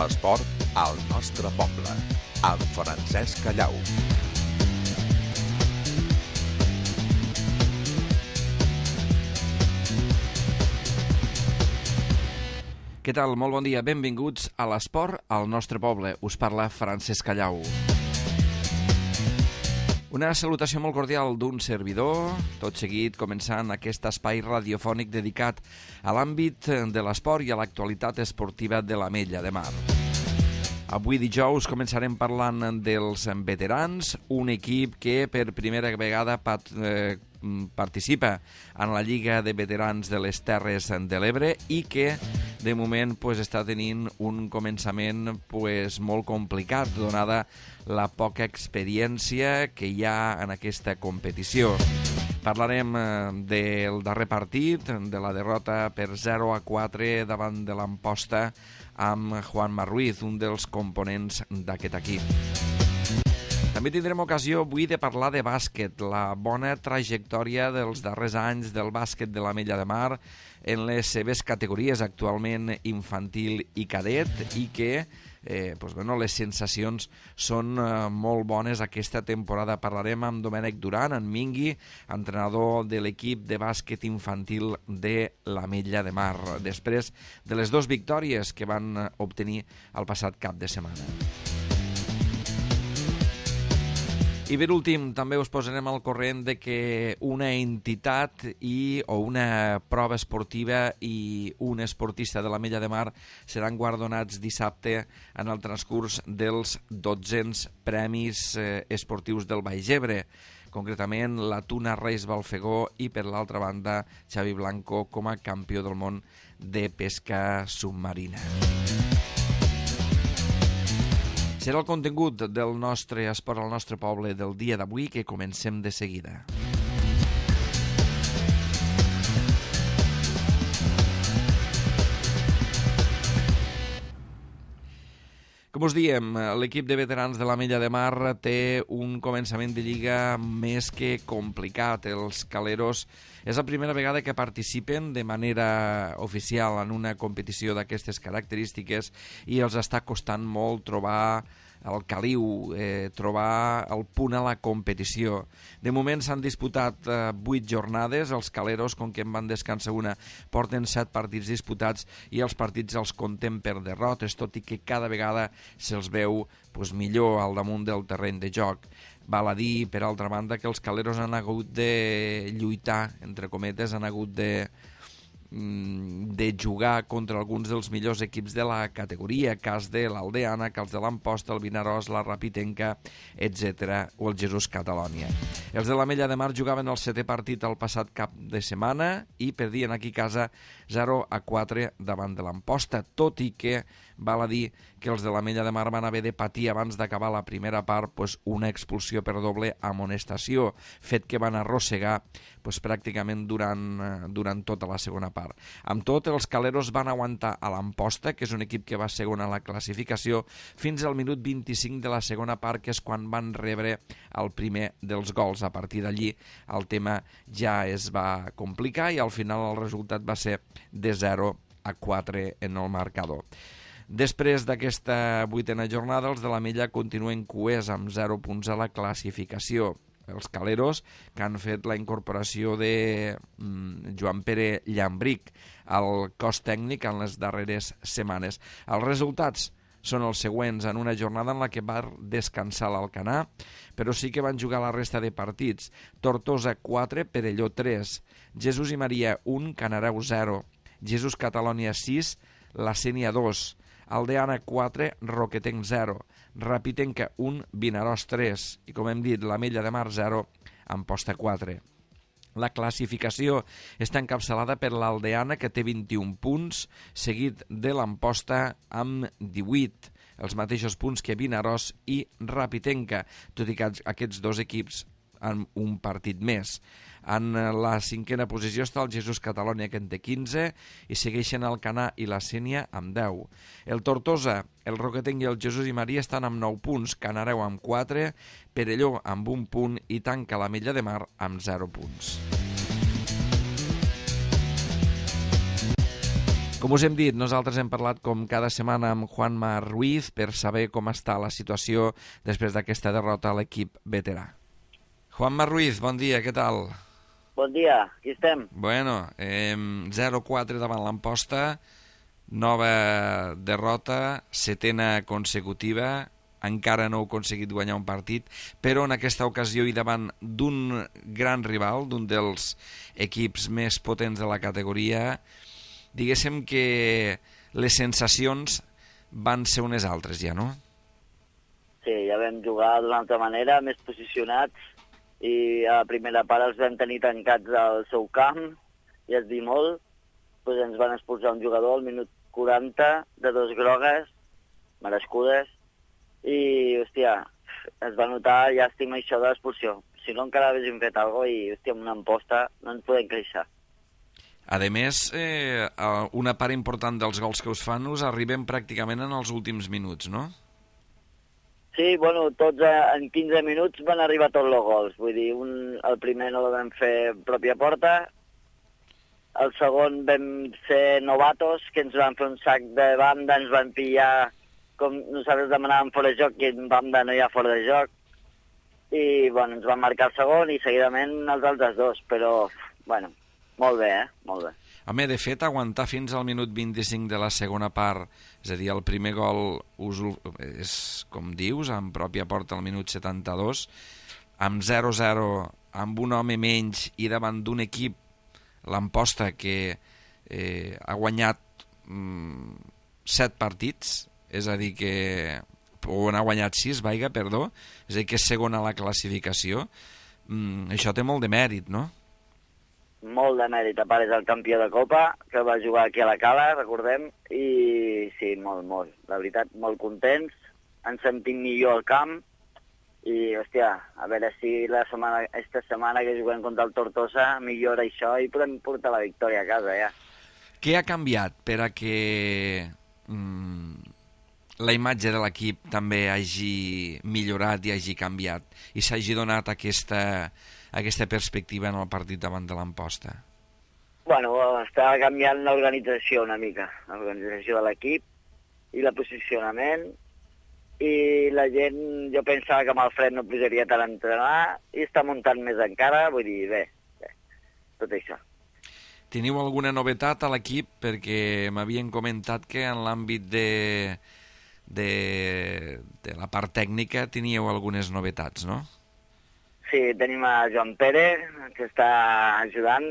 L'esport al nostre poble, amb Francesc Callau. Què tal? Molt bon dia. Benvinguts a l'esport al nostre poble. Us parla Francesc Callau. Una salutació molt cordial d'un servidor, tot seguit començant aquest espai radiofònic dedicat a l'àmbit de l'esport i a l'actualitat esportiva de l'Ametlla de Mar. Avui dijous començarem parlant dels veterans, un equip que per primera vegada participa en la Lliga de Veterans de les Terres de l'Ebre i que de moment està tenint un començament molt complicat, donada la poca experiència que hi ha en aquesta competició. Parlarem del darrer partit, de la derrota per 0-4 davant de l'Amposta amb Juanma Ruiz, un dels components d'aquest equip. També tindrem ocasió avui de parlar de bàsquet, la bona trajectòria dels darrers anys del bàsquet de l'Ametlla de Mar en les seves categories, actualment infantil i cadet, i que les sensacions són molt bones aquesta temporada. Parlarem amb Domènec Duran, en Mingui, entrenador de l'equip de bàsquet infantil de l'Ametlla de Mar, després de les 2 victòries que van obtenir el passat cap de setmana. I per últim, també us posarem al corrent de que una entitat o una prova esportiva i un esportista de l'Ametlla de Mar seran guardonats dissabte en el transcurs dels 1200 Premis Esportius del Baix Ebre, concretament la Tuna Reis Balfegó i, per l'altra banda, Xavi Blanco com a campió del món de pesca submarina. Serà el contingut del nostre esport al nostre poble del dia d'avui, que comencem de seguida. Com us diem, l'equip de veterans de l'Ametlla de Mar té un començament de lliga més que complicat. Els caleros és la primera vegada que participen de manera oficial en una competició d'aquestes característiques i els està costant molt trobar el caliu, trobar el punt a la competició. De moment s'han disputat 8 jornades, els caleros, com que en van descansar una, porten 7 partits disputats i els partits els comptem per derrotes, tot i que cada vegada se'ls veu millor al damunt del terreny de joc. Val a dir, per altra banda, que els caleros han hagut de lluitar, entre cometes, han hagut de jugar contra alguns dels millors equips de la categoria, cas de l'Aldeana, cas de l'Amposta, el Vinaròs, la Rapitenca, etc., o el Jesús Catalònia. Els de l'Ametlla de Mar jugaven el 7è partit el passat cap de setmana i perdien aquí a casa 0-4 davant de l'Amposta, tot i que val a dir que els de l'Ametlla de Mar van haver de patir abans d'acabar la primera part una expulsió per doble amonestació, fet que van arrossegar pràcticament durant tota la segona part. Amb tot, els caleros van aguantar a l'Amposta, que és un equip que va segon a la classificació, fins al minut 25 de la segona part, que és quan van rebre el primer dels gols. A partir d'allí el tema ja es va complicar i al final el resultat va ser de 0-4 en el marcador. Després d'aquesta 8a jornada, els de l'Ametlla continuen cuers amb 0 punts a la classificació. Els caleros, que han fet la incorporació de Joan Pere Llambric al cos tècnic en les darreres setmanes. Els resultats són els següents, en una jornada en la que va descansar l'Alcanar, però sí que van jugar la resta de partits. Tortosa 4, Perelló 3, Jesús i Maria 1, Canareu 0, Jesús Catalònia 6, La Sénia 2, Aldeana 4, Roquetenc 0, Rapitenca 1, Vinaròs 3 i, com hem dit, l'Ametlla de Mar 0, Amposta 4. La classificació està encapçalada per l'Aldeana, que té 21 punts, seguit de l'Amposta amb 18, els mateixos punts que Vinaròs i Rapitenca, tot i que aquests dos equips en un partit més. En la 5a posició està el Jesús Catalònia, que en té 15, i segueixen el Canà i la Sénia amb 10. El Tortosa, el Roquetenc i el Jesús i Maria estan amb 9 punts, Canareu amb 4, Perelló amb 1 punt i tanca l'Ametlla de Mar amb 0 punts. Com us hem dit, nosaltres hem parlat com cada setmana amb Juanma Ruiz per saber com està la situació després d'aquesta derrota a l'equip veterà. Juanma Ruiz, bon dia, què tal? Bon dia, aquí estem. Bueno, 0-4 davant l'Amposta, nova derrota, setena consecutiva, encara no heu aconseguit guanyar un partit, però en aquesta ocasió i davant d'un gran rival, d'un dels equips més potents de la categoria, diguéssim que les sensacions van ser unes altres ja, no? Sí, ja vam jugar d'una altra manera, més posicionats, i a la primera part els vam tenir tancats al seu camp, i es dir molt, doncs ens van expulsar un jugador al minut 40 de 2 grogues, merescudes, i, hòstia, es va notar llàstima això de l'expulsió. Si no, encara haguéssim fet alguna cosa i, hòstia, amb una Amposta no ens podem queixar. A més, una part important dels gols que us fan us arriben pràcticament en els últims minuts, no? Sí, bueno, tots en 15 minuts van arribar tots els gols. Vull dir, el primer no el vam fer pròpia porta, el segon vam ser novatos, que ens van fer un sac de banda, ens van pillar com nosaltres demanàvem fora de joc, i en banda no hi ha fora de joc, i bueno, ens van marcar el segon i seguidament els altres dos, però, bueno, molt bé, molt bé. Home, de fet, aguantar fins al minut 25 de la segona part, és a dir, el primer gol és, com dius, en pròpia porta al minut 72, amb 0-0, amb un home menys i davant d'un equip, l'Amposta, que ha guanyat 7 partits, és a dir que o n'ha guanyat 6, perdó, és a dir que és segon a la classificació, això té molt de mèrit, no? Molt de mèrit, a part és el campió de Copa, que va jugar aquí a la Cala, recordem, i sí, molt, la veritat, molt contents, ens sentim millor al camp, i, hòstia, a veure si esta setmana que juguem contra el Tortosa millora això i podem portar la victòria a casa, ja. Què ha canviat per a que la imatge de l'equip també hagi millorat i hagi canviat i s'hagi donat aquesta perspectiva en el partit davant de l'Amposta? Bueno, està canviant l'organització una mica, l'organització de l'equip i el posicionament, i la gent, jo pensava que amb el Fred no posaria tant a entrenar i està muntant més encara, vull dir, bé, tot això. Teniu alguna novetat a l'equip? Perquè m'havien comentat que en l'àmbit de la part tècnica teníeu algunes novetats, no? Sí, tenim a Joan Pere, que està ajudant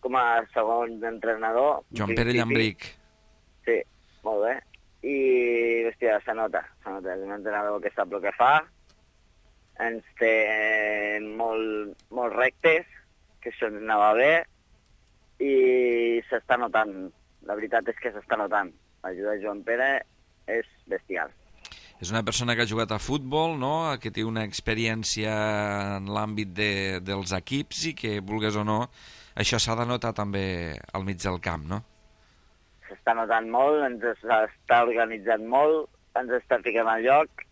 com a segon entrenador. Joan Pere Llambric. Sí, molt bé. I, hòstia, se nota. És un entrenador que sap el que fa, ens té molt rectes, que això ens anava bé, i s'està notant. La veritat és que s'està notant. L'ajuda de Joan Pere és bestial. És una persona que ha jugat a futbol, no? Que té una experiència en l'àmbit dels equips i que, vulgues o no, això s'ha de notar també al mig del camp, no? S'està notant molt, ens està organitzant molt, ens està ficant al lloc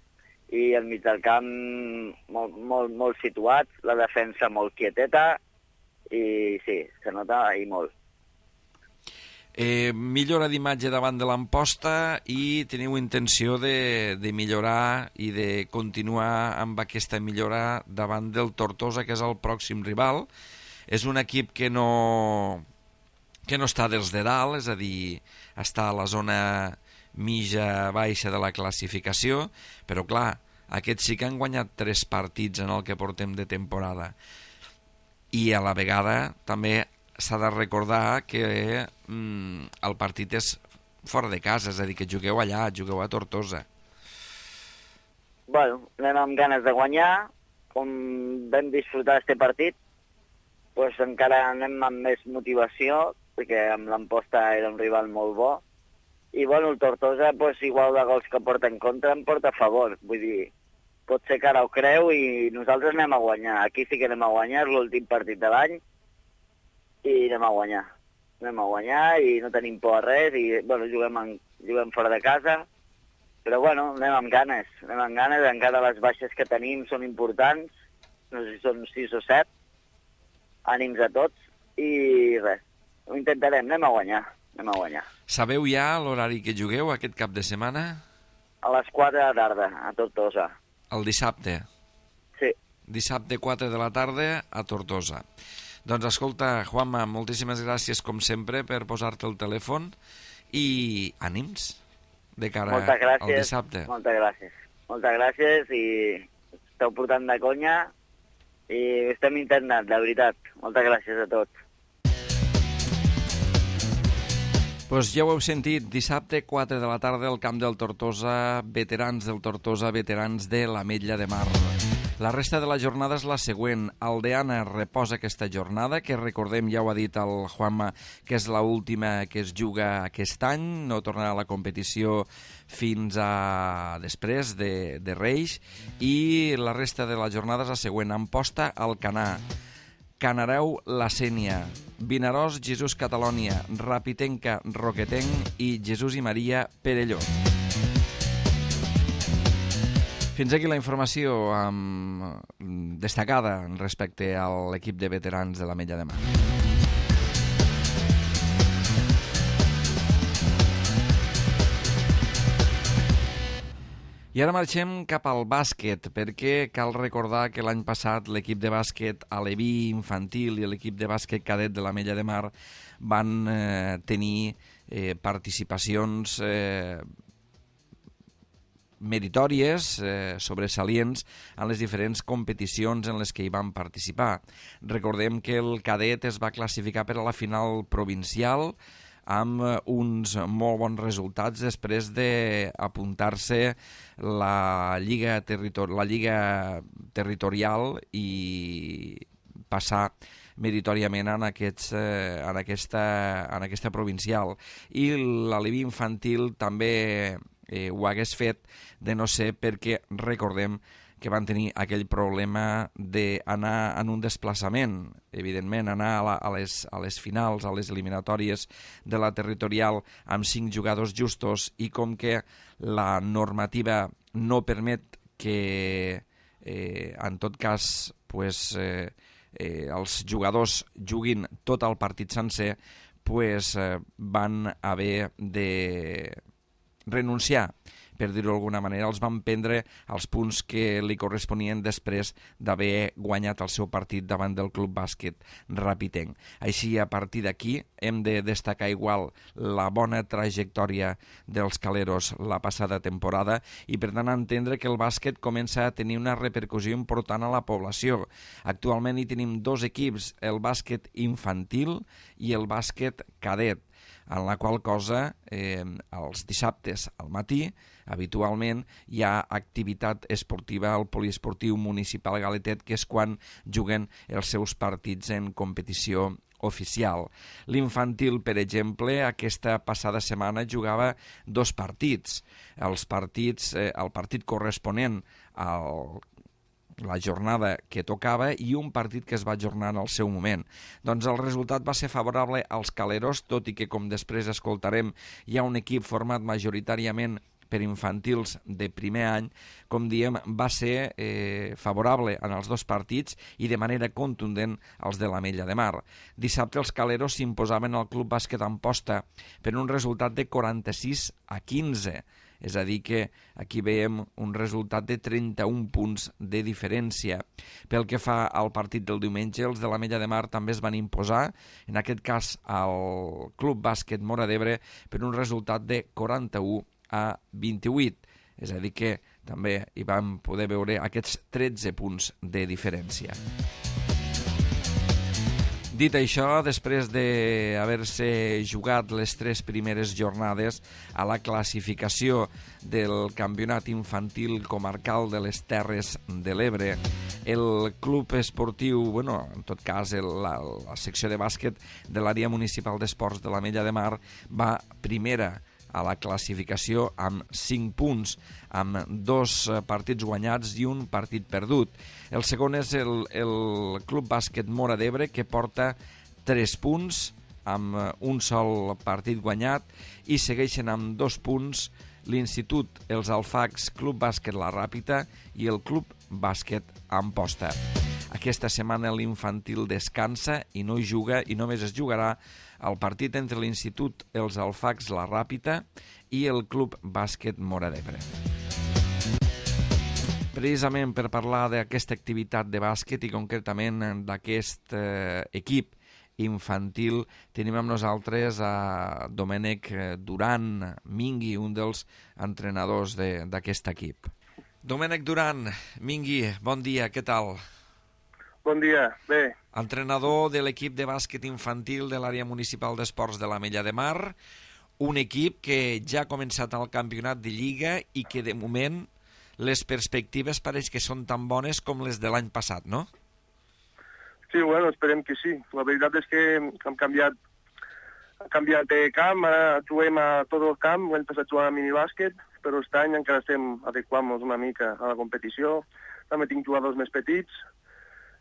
i al mig del camp molt situat, la defensa molt quieteta i sí, se nota i molt. Millora d'imatge davant de l'Amposta i teniu intenció de millorar i de continuar amb aquesta millora davant del Tortosa, que és el pròxim rival. És un equip que no està dels de dalt, és a dir, està a la zona mitja baixa de la classificació, però clar, aquests sí que han guanyat 3 partits en el que portem de temporada. I a la vegada també s'ha de recordar que el partit és fora de casa, és a dir, que jugueu allà, jugueu a Tortosa. Bueno, anem amb ganes de guanyar, com vam disfrutar d'aquest partit, doncs encara anem amb més motivació, perquè amb l'Amposta era un rival molt bo, i bueno, el Tortosa, doncs, igual de gols que porta en contra, en porta a favor, vull dir, pot ser que ara ho creu i nosaltres anem a guanyar, aquí sí que anem a guanyar, és l'últim partit de l'any, i anem a guanyar i no tenim por a res i bueno, juguem fora de casa, però bueno, anem amb ganes, encara les baixes que tenim són importants, no sé si són 6 o 7, ànims a tots i res, ho intentarem, anem a guanyar, anem a guanyar. Sabeu ja l'horari que jugueu aquest cap de setmana? A les 4 de la tarda, a Tortosa. El dissabte. Sí. Dissabte 4 de la tarda a Tortosa. Doncs escolta, Juanma, moltíssimes gràcies com sempre per posar-te el telèfon i ànims de cara al dissabte. Moltes gràcies. Moltes gràcies i esteu portant de conya i estem intentant, de veritat. Moltes gràcies a tots. Doncs ja ho heu sentit, dissabte 4 de la tarda al camp del Tortosa, veterans del Tortosa, veterans de l'Ametlla de Mar. La resta de la jornada és la següent. Aldeana reposa aquesta jornada, que recordem, ja ho ha dit el Juanma, que és l'última que es juga aquest any, no tornarà a la competició fins a després de Reis, i la resta de la jornada és la següent. Amposta, Alcanar, Canareu, La Sénia, Vinaròs, Jesús Catalònia, Rapitenca, Roquetenc i Jesús i Maria, Perelló. Fins aquí la informació destacada respecte a l'equip de veterans de l'Ametlla de Mar. I ara marxem cap al bàsquet, perquè cal recordar que l'any passat l'equip de bàsquet aleví infantil i l'equip de bàsquet cadet de l'Ametlla de Mar van tenir participacions meritòries, sobresalients en les diferents competicions en les que hi van participar. Recordem que el cadet es va classificar per a la final provincial amb uns molt bons resultats després d'apuntar-se la lliga territorial i passar meritòriament en aquesta provincial. I l'Aleví infantil també ho hagués fet, de no ser perquè recordem que van tenir aquell problema d'anar en un desplaçament, evidentment, anar a les finals, a les eliminatòries de la territorial amb 5 jugadors justos, i com que la normativa no permet que, en tot cas, els jugadors juguin tot el partit sencer, van haver de renunciar, per dir-ho d'alguna manera. Els van prendre els punts que li corresponien després d'haver guanyat el seu partit davant del Club Bàsquet Rapitenc. Així, a partir d'aquí, hem de destacar igual la bona trajectòria dels caleros la passada temporada i, per tant, entendre que el bàsquet comença a tenir una repercussió important a la població. Actualment hi tenim 2 equips, el bàsquet infantil i el bàsquet cadet, en la qual cosa els dissabtes al matí habitualment hi ha activitat esportiva al poliesportiu municipal Galetet, que és quan juguen els seus partits en competició oficial. L'infantil, per exemple, aquesta passada setmana jugava 2 partits. El partit corresponent al la jornada que tocava i un partit que es va ajornar en el seu moment. Doncs el resultat va ser favorable als caleros, tot i que, com després escoltarem, hi ha un equip format majoritàriament per infantils de primer any. Com diem, va ser favorable en els 2 partits i de manera contundent als de l'Ametlla de Mar. Dissabte els caleros s'imposaven al Club Bàsquet Amposta per un resultat de 46-15. És a dir que aquí veiem un resultat de 31 punts de diferència. Pel que fa al partit del diumenge, els de l'Ametlla de Mar també es van imposar, en aquest cas al Club Bàsquet Móra d'Ebre, per un resultat de 41-28. És a dir que també hi vam poder veure aquests 13 punts de diferència. Dit això, després d'haver-se jugat les 3 primeres jornades a la classificació del Campionat Infantil Comarcal de les Terres de l'Ebre, el club esportiu, en tot cas la secció de bàsquet de l'àrea municipal d'esports de l'Ametlla de Mar va primera a la classificació amb 5 punts, amb 2 partits guanyats i un partit perdut. El segon és el Club Bàsquet Móra d'Ebre, que porta 3 punts amb un sol partit guanyat, i segueixen amb 2 punts l'Institut Els Alfacs Club Bàsquet La Ràpita i el Club Bàsquet Amposta. Aquesta setmana l'infantil descansa i no hi juga, i només es jugarà al partit entre l'Institut Els Alfacs La Ràpita i el Club Bàsquet Móra d'Ebre. Precisament per parlar d'aquesta activitat de bàsquet i concretament d'aquest equip infantil, tenim amb nosaltres a Domènec Duran Mingui, un dels entrenadors d'aquest equip. Domènec Duran Mingui, bon dia, què tal? Bon dia, bé. Entrenador de l'equip de bàsquet infantil de l'àrea municipal d'esports de l'Ametlla de Mar, un equip que ja ha començat el campionat de Lliga i que de moment les perspectives pareix que són tan bones com les de l'any passat, no? Sí, bueno, esperem que sí. La veritat és que hem canviat de camp, ara juguem a tot el camp, l'any passat jugàvem a minibàsquet, però aquest any encara estem adequant-nos una mica a la competició. També tinc jugadors més petits,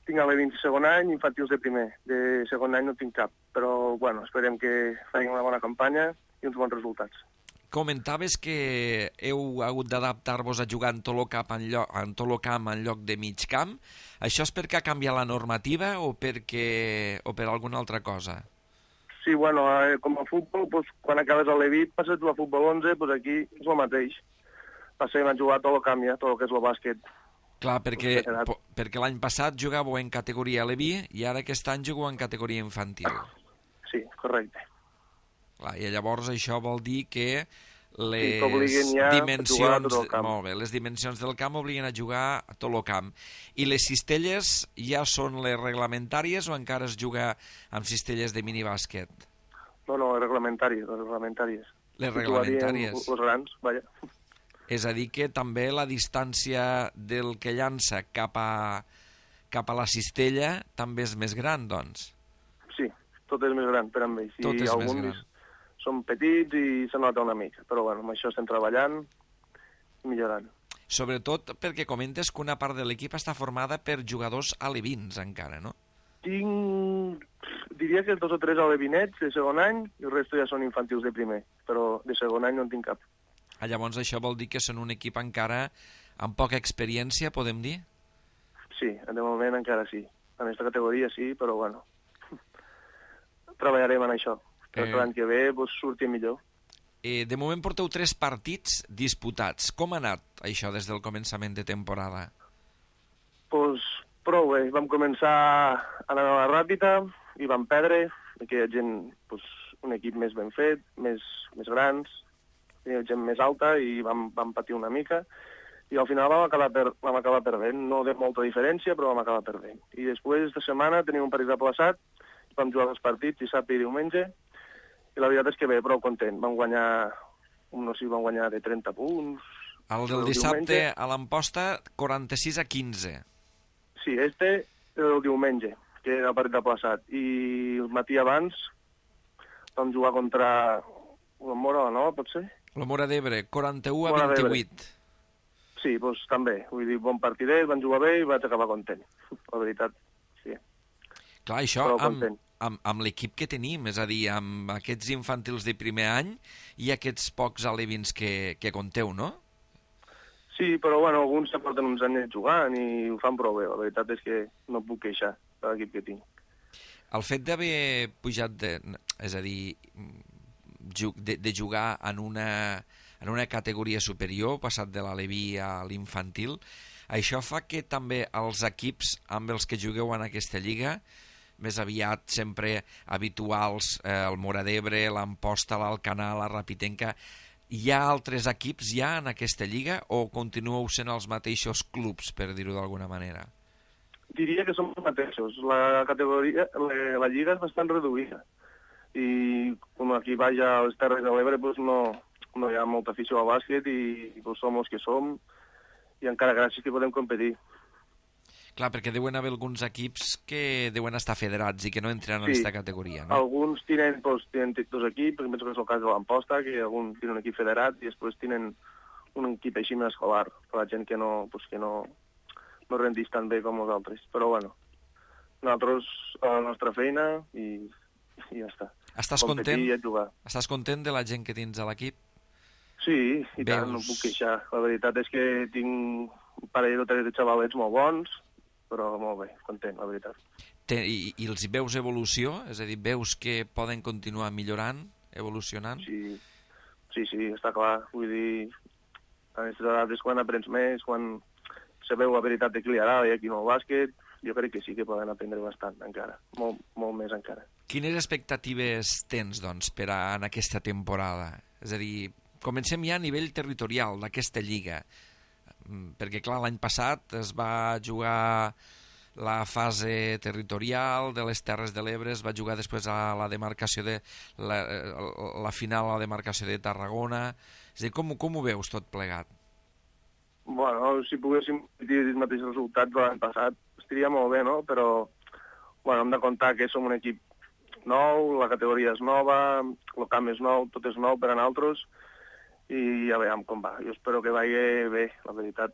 tinc a l'E20 de segon any, infantils de primer. De segon any no tinc cap, però bueno, esperem que facin una bona campanya i uns bons resultats. Comentaves que heu hagut d'adaptar-vos a jugar en tot el camp en lloc de mig camp. Això és perquè ha canviat la normativa o per alguna altra cosa? Sí, bueno, com a futbol, doncs, quan acabes a l'E20 passes a jugar a futbol 11, doncs aquí és el mateix. Passem a jugar tot el camp ja, tot el que és el bàsquet. Clar, perquè l'any passat jugàveu en categoria Leví i ara aquest any jugueu en categoria infantil. Sí, correcte. Clar, i llavors això vol dir que les dimensions del camp obliguen a jugar a tot el camp. I les cistelles ja són les reglamentàries o encara es juga amb cistelles de minibàsquet? No, reglamentàries. Les reglamentàries. Els grans, vaja. És a dir que també la distància del que llança cap a la cistella també és més gran, doncs? Sí, tot és més gran per amb ells. Tot és més gran. Són petits i se nota una mica, però bueno, amb això estem treballant i millorant. Sobretot perquè comentes que una part de l'equip està formada per jugadors alevins encara, no? Diria que 2 o 3 alevinets de segon any i el resto ja són infantils de primer, però de segon any no en tinc cap. Llavors això vol dir que són un equip encara amb poca experiència, podem dir? Sí, de moment encara sí. En aquesta categoria sí, però bueno, treballarem en això. L'any que ve surti millor. De moment porteu 3 partits disputats. Com ha anat això des del començament de temporada? Doncs prou bé. Vam començar anant a la Ràpita i vam perdre. Aquí hi ha gent, un equip més ben fet, més grans, hi ha gent més alta i vam patir una mica. I al final vam acabar perdent. No de molta diferència, però vam acabar perdent. I després de setmana tenim un partit aplaçat, vam jugar 2 partits, dissabte i diumenge, i la veritat és que bé, prou content. Vam guanyar de 30 punts. El del dissabte a l'Amposta, 46-15. Sí, el diumenge, que era el partit aplaçat. I el matí abans vam jugar contra la Móra, no? Pot ser? La Móra d'Ebre, 41-28. Sí, doncs també. Vull dir, bon partidet, van jugar bé i vaig acabar content. La veritat, sí. Clar, això amb l'equip que tenim, és a dir, amb aquests infantils de primer any i aquests pocs alevins que compteu, no? Sí, però bueno, alguns ja porten uns anys jugant i ho fan prou bé. La veritat és que no puc queixar de l'equip que tinc. El fet d'haver pujat, és a dir, de jugar en una categoria superior, passat de l'aleví a l'infantil, això fa que també els equips amb els que jugueu en aquesta lliga, més aviat sempre habituals, el Móra d'Ebre, l'Amposta, l'Alcanar, la Rapitenca, hi ha altres equips ja en aquesta lliga o continueu sent els mateixos clubs, per dir-ho d'alguna manera? Diria que som els mateixos. La lliga és bastant reduïda i com aquí baix a les Terres de l'Ebre no hi ha molta afició al bàsquet i som els que som i encara gràcies que podem competir. Clar, perquè deuen haver alguns equips que deuen estar federats i que no entren en aquesta categoria, no? Alguns tenen 2 equips, penso que és el cas de l'Amposta, que alguns tenen un equip federat i després tenen un equip així més escolar, per la gent que no rendís tan bé com nosaltres. Però bueno, nosaltres a la nostra feina i ja està. Estàs content? Estàs content de la gent que tens a l'equip? Sí, i tant, no puc queixar. La veritat és que tinc un parell o 3 de xavalets molt bons, però molt bé, content, la veritat. I els hi veus evolució? És a dir, veus que poden continuar millorant, evolucionant? Sí, està clar. Vull dir, a aquestes edats és quan aprens més, quan se veu la veritat de qui li agrada i aquí no el bàsquet, jo crec que sí que poden aprendre bastant encara, molt més encara. Quines expectatives tens, doncs, per en aquesta temporada? És a dir, comencem ja a nivell territorial d'aquesta lliga, perquè, clar, l'any passat es va jugar la fase territorial de les Terres de l'Ebre, es va jugar després a la demarcació de la final a la demarcació de Tarragona. És a dir, com ho veus tot plegat? Bueno, si poguéssim dir els mateixos resultats de l'any passat, estaria molt bé, no? Però, bueno, hem de comptar que som un equip nou, la categoria és nova, el camp és nou, tot és nou per a nosaltres, i ja veiem com va. Jo espero que vagi bé, la veritat.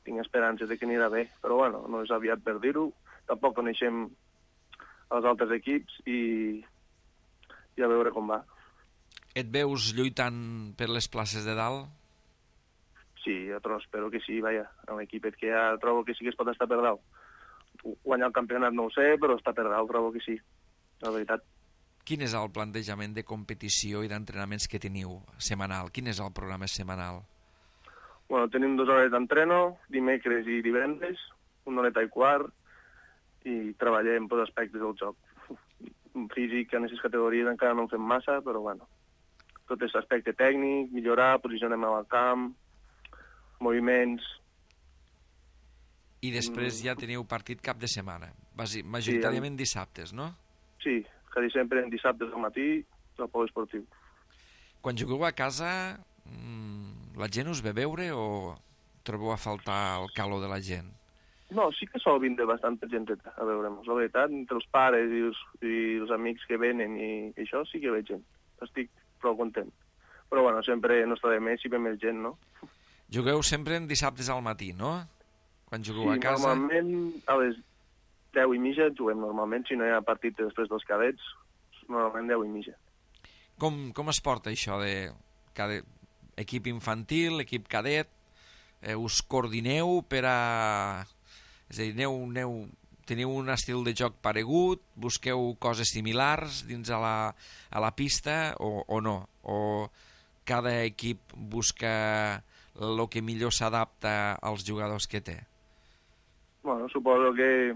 Tinc esperances de que anirà bé, però, bueno, no és aviat per dir-ho. Tampoc coneixem els altres equips i a veure com va. Et veus lluitant per les places de dalt? Sí, jo espero que sí, vaja. L'equip que ja trobo que sí que es pot estar per dalt. Guanyar el campionat no ho sé, però estar per dalt trobo que sí, la veritat. Quin és el plantejament de competició i d'entrenaments que teniu setmanal? Quin és el programa setmanal? Bueno, tenim 2 hores d'entreno, dimecres i divendres, 1 horeta i quart, i treballem per aspectes del joc. Físic en aquestes categories encara no en fem massa, però bueno, tot és aspecte tècnic, millorar, posicionem al camp, moviments. I després ja teniu partit cap de setmana, majoritàriament dissabtes, no? Sí, quasi sempre en dissabtes al matí, al pol esportiu. Quan jugueu a casa, la gent us ve a veure o trobeu a faltar el calor de la gent? No, sí que sol vindre bastanta gent a veure'ns. La veritat, entre els pares i els amics que venen i això sí que veig gent. Estic prou content. Però bueno, sempre no està de més si ve més gent, no? Jugueu sempre en dissabtes al matí, no? Quan jugueu a casa... Sí, normalment a les 10:30 juguem normalment, si no hi ha partit després dels cadets, normalment 10:30. Com es porta això de equip infantil, equip cadet? Us coordineu per a... És a dir, teniu un estil de joc paregut? Busqueu coses similars dins a la pista o no? O cada equip busca el que millor s'adapta als jugadors que té? Bueno, suposo que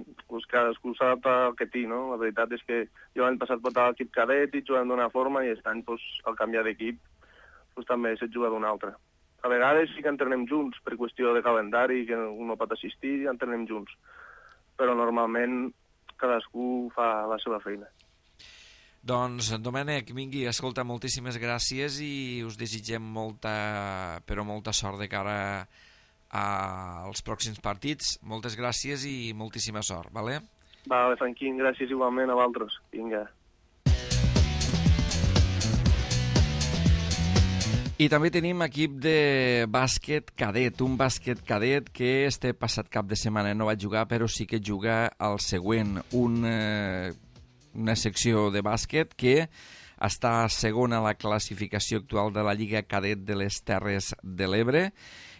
cadascú s'adapta al que té, no? La veritat és que jo l'any passat portava l'equip cadet i jugant d'una forma i aquest any, al canviar d'equip, també sé jugar d'una altra. A vegades sí que entrenem junts per qüestió de calendari, que un no pot assistir i entrenem junts. Però normalment cadascú fa la seva feina. Doncs, Domènec, vingui, escolta, moltíssimes gràcies i us desitgem molta sort de cara als pròxims partits. Moltes gràcies i moltíssima sort, vale? Vale, Franquín, gràcies igualment a vosaltres. Vinga. I també tenim equip de bàsquet cadet, un bàsquet cadet que este passat cap de setmana no va jugar, però sí que juga al següent, una secció de bàsquet que està segona a la classificació actual de la Lliga Cadet de les Terres de l'Ebre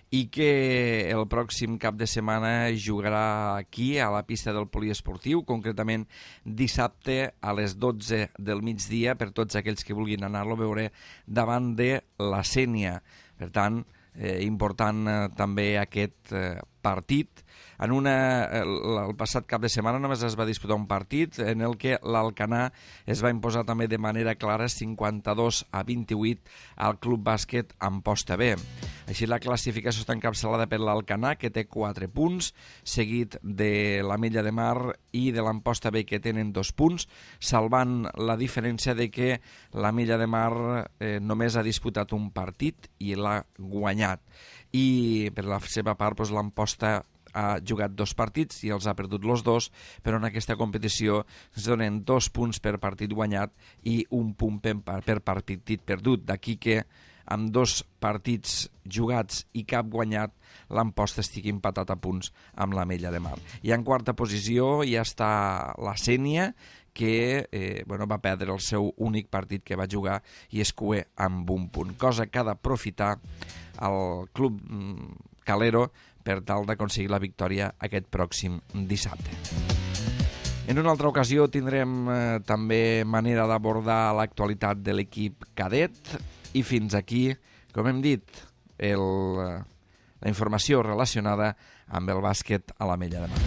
i que el pròxim cap de setmana jugarà aquí, a la pista del poliesportiu, concretament dissabte a les 12 del migdia, per tots aquells que vulguin anar-lo a veure, davant de la Sénia. Per tant, important també aquest partit. El passat cap de setmana només es va disputar un partit en el que l'Alcanar es va imposar també de manera clara 52-28 al Club Bàsquet Amposta B. Així la classificació està encapçalada per l'Alcanar, que té 4 punts, seguit de l'Ametlla de Mar i de l'Amposta B, que tenen 2 punts, salvant la diferència de que l'Ametlla de Mar només ha disputat un partit i l'ha guanyat. I per la seva part l'Amposta ha jugat 2 partits i els ha perdut els 2, però en aquesta competició es donen 2 punts per partit guanyat i 1 punt per partit perdut. D'aquí que amb 2 partits jugats i cap guanyat, l'Amposta estigui empatat a punts amb l'Ametlla de Mar. I en quarta posició ja està la Sénia, que va perdre el seu únic partit que va jugar i es cué amb 1 punt, cosa que ha d'aprofitar el club Calero per tal d'aconseguir la victòria aquest pròxim dissabte. En una altra ocasió tindrem també manera d'abordar l'actualitat de l'equip cadet i fins aquí, com hem dit, la informació relacionada amb el bàsquet a l'Ametlla de Mar.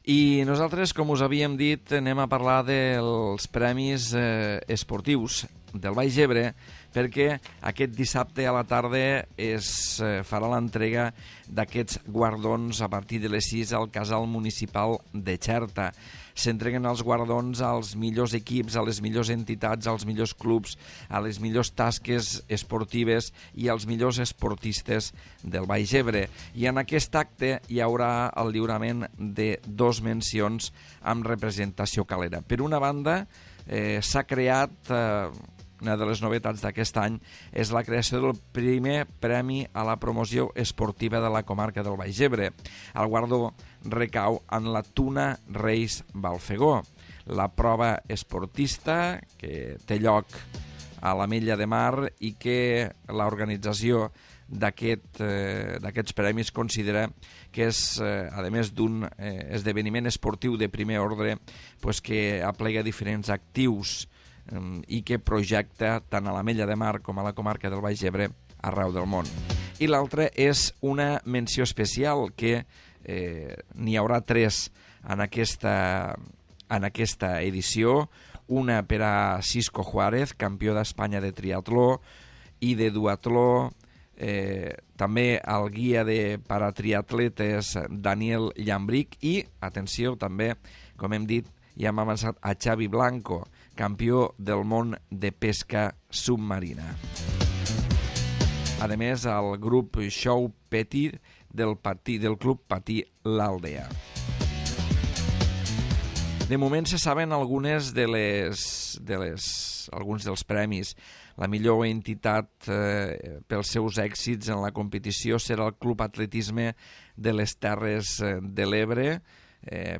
I nosaltres, com us havíem dit, anem a parlar dels premis esportius del Baix Ebre, perquè aquest dissabte a la tarda es farà l'entrega d'aquests guardons a partir de les 6 al Casal Municipal de Xerta. S'entreguen els guardons als millors equips, a les millors entitats, als millors clubs, a les millors tasques esportives i als millors esportistes del Baix Ebre. I en aquest acte hi haurà el lliurament de 2 mencions amb representació calera. Per una banda, s'ha creat... Una de les novetats d'aquest any és la creació del primer premi a la promoció esportiva de la comarca del Baix Ebre. El guardó recau en la Tuna Reis Balfegó, la prova esportista que té lloc a l'Ametlla de Mar i que l'organització d'aquests premis considera que és, a més d'un esdeveniment esportiu de primer ordre, pues que aplega diferents actius i que projecta tant a l'Ametlla de Mar com a la comarca del Baix Ebre arreu del món. I l'altre és una menció especial que n'hi haurà 3 en aquesta edició, una per a Cisco Juárez, campió d'Espanya de triatló i de duatló, també el guia de paratriatletes Daniel Llambric i, atenció, també, com hem dit, ja hem avançat a Xavi Blanco, campió del món de pesca submarina. A més, el grup Show Petit del Club Patí l'Aldea. De moment se saben alguns dels premis. La millor entitat pels seus èxits en la competició serà el Club Atletisme de les Terres de l'Ebre,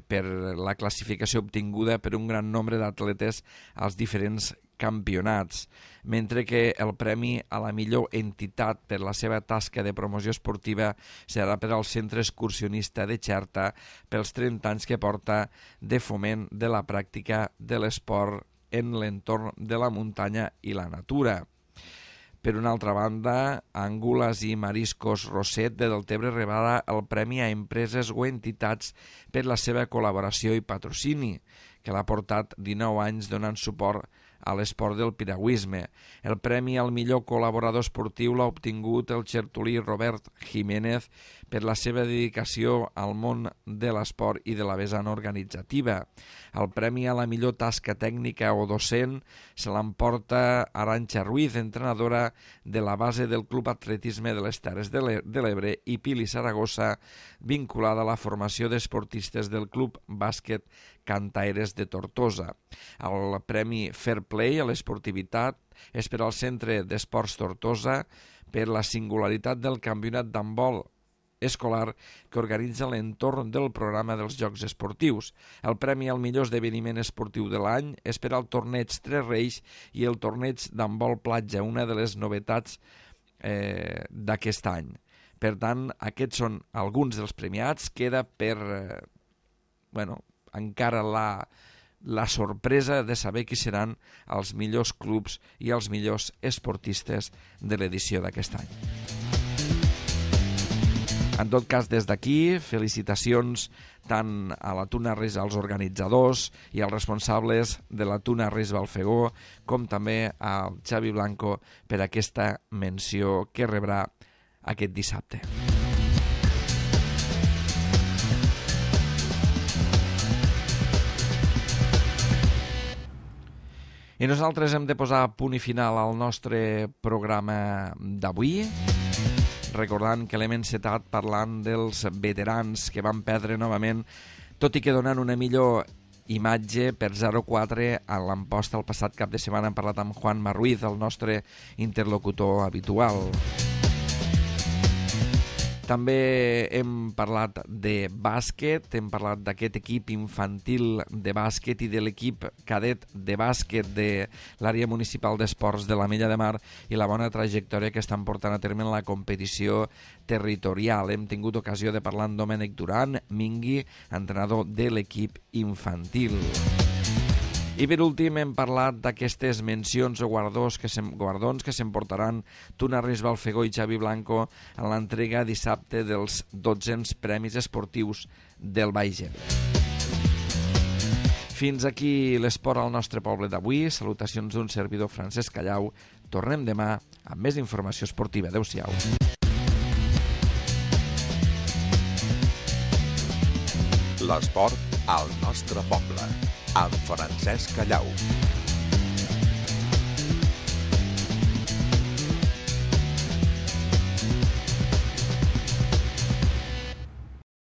per la classificació obtinguda per un gran nombre d'atletes als diferents campionats, mentre que el premi a la millor entitat per la seva tasca de promoció esportiva serà per al Centre Excursionista de Xerta pels 30 anys que porta de foment de la pràctica de l'esport en l'entorn de la muntanya i la natura. Per una altra banda, Angules i Mariscos Roset de Deltebre rebrà el premi a empreses o entitats per la seva col·laboració i patrocini, que l'ha portat 19 anys donant suport a l'esport del piragüisme. El premi al millor col·laborador esportiu l'ha obtingut el xertolí Robert Jiménez per la seva dedicació al món de l'esport i de la vessant organitzativa. El premi a la millor tasca tècnica o docent se l'emporta Arantxa Ruiz, entrenadora de la base del Club Atletisme de les Terres de l'Ebre, i Pili Saragossa, vinculada a la formació d'esportistes del Club Bàsquet Cantaires de Tortosa. El premi Fair Play a l'esportivitat és per al Centre d'Esports Tortosa per la singularitat del campionat d'handbol escolar que organitza l'entorn del programa dels Jocs Esportius. El premi al millor esdeveniment esportiu de l'any és per al torneig Tres Reis i el torneig d'handbol platja, una de les novetats d'aquest any. Per tant, aquests són alguns dels premiats. Queda per encara la sorpresa de saber qui seran els millors clubs i els millors esportistes de l'edició d'aquest any. En tot cas, des d'aquí, felicitacions tant a la Tuna Reis, als organitzadors i als responsables de la Tuna Reis Balfegó, com també al Xavi Blanco per aquesta menció que rebrà aquest dissabte. I nosaltres hem de posar punt i final al nostre programa d'avui, recordant que l'hem encetat parlant dels veterans que van perdre novament, tot i que donant una millor imatge per 0-4 a l'Amposta el passat cap de setmana. Hem parlat amb Juan Marruiz, el nostre interlocutor habitual. També hem parlat de bàsquet, hem parlat d'aquest equip infantil de bàsquet i de l'equip cadet de bàsquet de l'àrea municipal d'esports de l'Ametlla de Mar i la bona trajectòria que estan portant a terme en la competició territorial. Hem tingut ocasió de parlar amb Domènec Duran, Mingui, entrenador de l'equip infantil. I per últim hem parlat d'aquestes mencions o guardons que s'emportaran Tuna Reis Balfegó i Xavi Blanco en l'entrega dissabte dels 12 Premis Esportius del Baix Ebre. Fins aquí l'esport al nostre poble d'avui. Salutacions d'un servidor, Francesc Callau. Tornem demà amb més informació esportiva. Adéu-siau. L'esport al nostre poble, amb Francesc Callau.